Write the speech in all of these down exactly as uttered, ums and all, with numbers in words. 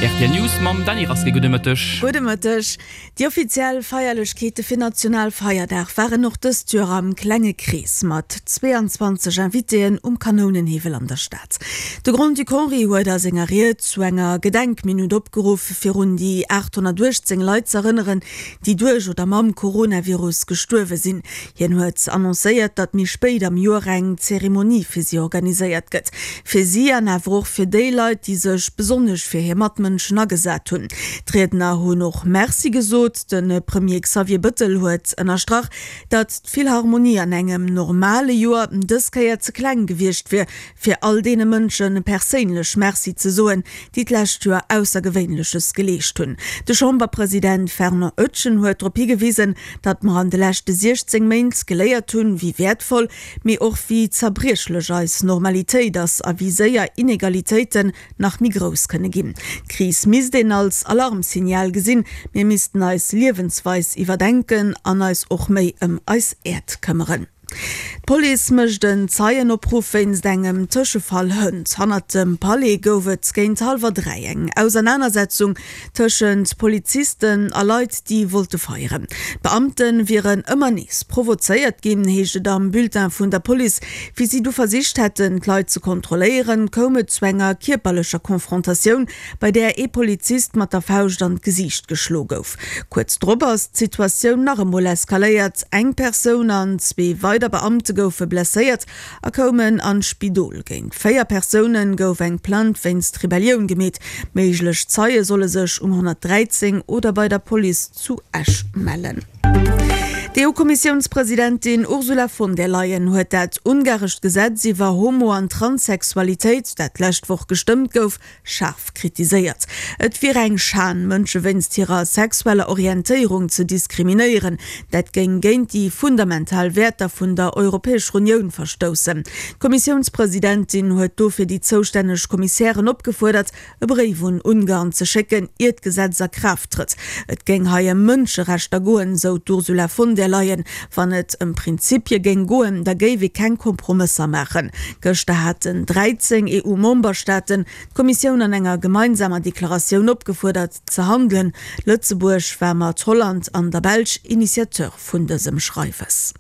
Rtl News mam Dany Rasqué. Gudde Mëtteg. Gudde Mëtteg. Déi offiziell Feierlechkeete fir Nationalfeierdag waren och dëst Joer am klenge Krees mat zweeanzwanzeg Invitéen um Kanounenhiwwel an der Stad. De Grand-Duc Henri huet a senger Ried zu enger Gedenkminutt opgeruff, fir un déi aathonnertuechtzéng Leit z'erënneren, déi duerch oder mam Coronavirus gestuerwe sinn. Hien huet annoncéiert, datt méi spéit am Joer eng Zeremonie fir si organiséiert gëtt. Fir si an awer och fir déi Leit, déi sech besonnesch fir hir Matmënschen agesat hunn. D'Riedner hunn och Merci gesot. De Premier Xavier Bëttel huet ënnerstrach, datt d'Philharmonie an engem normale Joer dës Kéier ze kleng gewiescht wier, fir all deene Mënsche perséinlech Merci ze soen, déi d'lescht Joer Aussergewéinleches geleescht hunn. De Chamberpresident Fernand Etgen huet drop higewisen, datt mer an de leschte siechzéng Méint geléiert hunn, wéi wäertvoll, mee och wéi zerbriechlech eis Normalitéit ass a wéi séier Inegalitéiten nach méi grouss kënne ginn. D'Kris misst een als Alarmsignal gesinn, mir missten eis Liewensweis iwwerdenken an eis och méi ëm eis Äerd këmmeren. D'Police mécht en Zeienopruff wéinst engem Tëschefall hënt. Hannert dem Palais gouf et géint hallwer dräi eng Ausernanersetzung tëschent Polizisten a Leit, déi wollte feieren. D'Beamte wieren ëmmer nees provozéiert ginn, heescht et am Bulletin vun der Police. Wéi si du versicht hätten, d'Leit ze kontrolléieren, koum et zu enger kierperlecher Konfrontatioun, bei där ee Polizist mat der Fauscht an d'Gesiicht geschloe gouf. Kuerz drop ass d'Situatioun nach emol eskaléiert, Eng Persoun an zwee weider Beamte goufe blesséiert a koumen an d'Spidol. Géint véier Persoune gouf eng Plainte wéinst Rebellioun gemeet. Méiglech Zeie solle sech um honnertdräizéng oder bei der Police zu Esch mellen. D'EU-Kommissiounspresidentin Ursula von der Leyen huet dat ungarescht Gesetz iwwer Homo an Transsexualitéit, dat d'lescht Woch gestëmmt gouf, schaarf kritiséiert. Et wier eng Schan, Mënsche wéinst hirer sexueller Orientéierung ze diskriminéieren. Dat géing géint déi fundamental Wäerter vun der Europäescher Unioun verstoussen. D'Kommissiounspresidentin huet dofir déi zoustänneg Kommissären opgefuerdert, e Bréif un Ungarn ze schécken, ier d'Gesetz a Kraaft trëtt. Et géing hei ëm Mënscherechter goen, sou d'Ursula von der Leyen. Wann et ëm Prinzipie géing goen, da géif ee keng Kompromësser maachen. Gëschter haten dräizéng EU-Memberstaaten d'Kommissioun an enger gemeinsamer Deklaratioun opgefuerdert, ze handelen. Lëtzebuerg war mat Holland an der Belsch Initiateur vun dësem Schreiwes.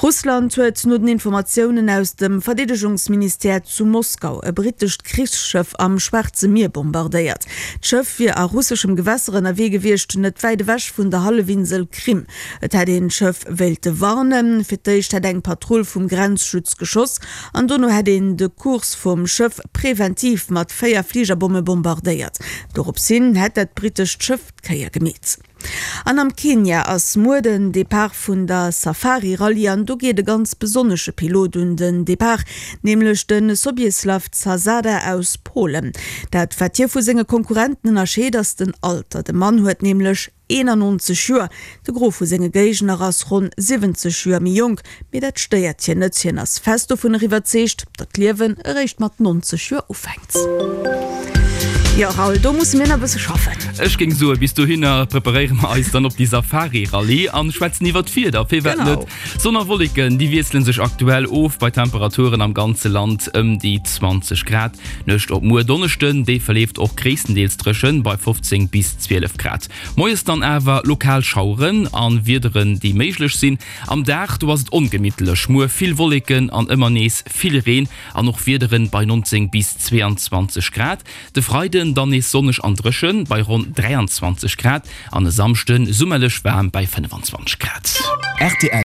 Russland huet no den Informatiounen aus dem Verdeedegungsministère zu Moskau e brittescht Krichsschëff am Schwaarze Mier bombardéiert. D'Schëff wier a russeschem Gewässer ënnerwee gewiescht, net wäit ewech vun der Hallefinsel Krim. Et hätt een d'Schëff wéilte warnen. Fir d'éischt hätt eng Patrull vum Grenzschutz geschoss an dono hätt een de Kurs vum Schëff preventiv mat véier Fligerbomme bombardéiert. Dorops hin hätt dat brittescht Schëff d'Kéier gemeet. An am Kenia ass muer den Depart vun der Safari Rallye an do geet e ganz besonnesche Pilot un den Depart, nämlech de Sobieslaw Zasada aus Polen. Dat wat hie vu senge Konkurrenten ënnerscheet ass den Alter, de Mann huet nämlech eenannonzeg Joer. De Gros vu senge Géigner ass ronn siwwenzeg Joer méi jonk, mee dat stéiert hien net. Hien ass fest dovunner iwwerzeegt, datt d'Liewen eréischt mat nonzeg Joer ufänkt. Jo Raoul, do musse mir nach e bësse schaffen. Ech géing soen, bis dohinner preparéiere mer eis dann op déi Safari-Rallye an schwätzen iwwer d'Wieder. Firwat net? Sonn a Wolleken, déi wiessele sech aktuell of bei Temperaturen am ganze Land ëm déi zwanzeg Grad. D'Nuecht op muer Donneschden, déi verleeft och gréisstendeels dréchen bei fofzéng bis zwielef Grad. Moies dann awer lokal Schaueren a Wiederen, déi méiglech sinn. Am Dag, do ass et ongemittlech, muer vill Wolleken an ëmmer nees vill Reen an och Wiederen bei nonzéng bis zweeanzwanzeg Grad. De Freiden dann nees sonneg an dréchen bei ronn dräianzwanzeg Grad an e Samschde summerlech waarm bei fënnefanzwanzeg Grad. Rtl.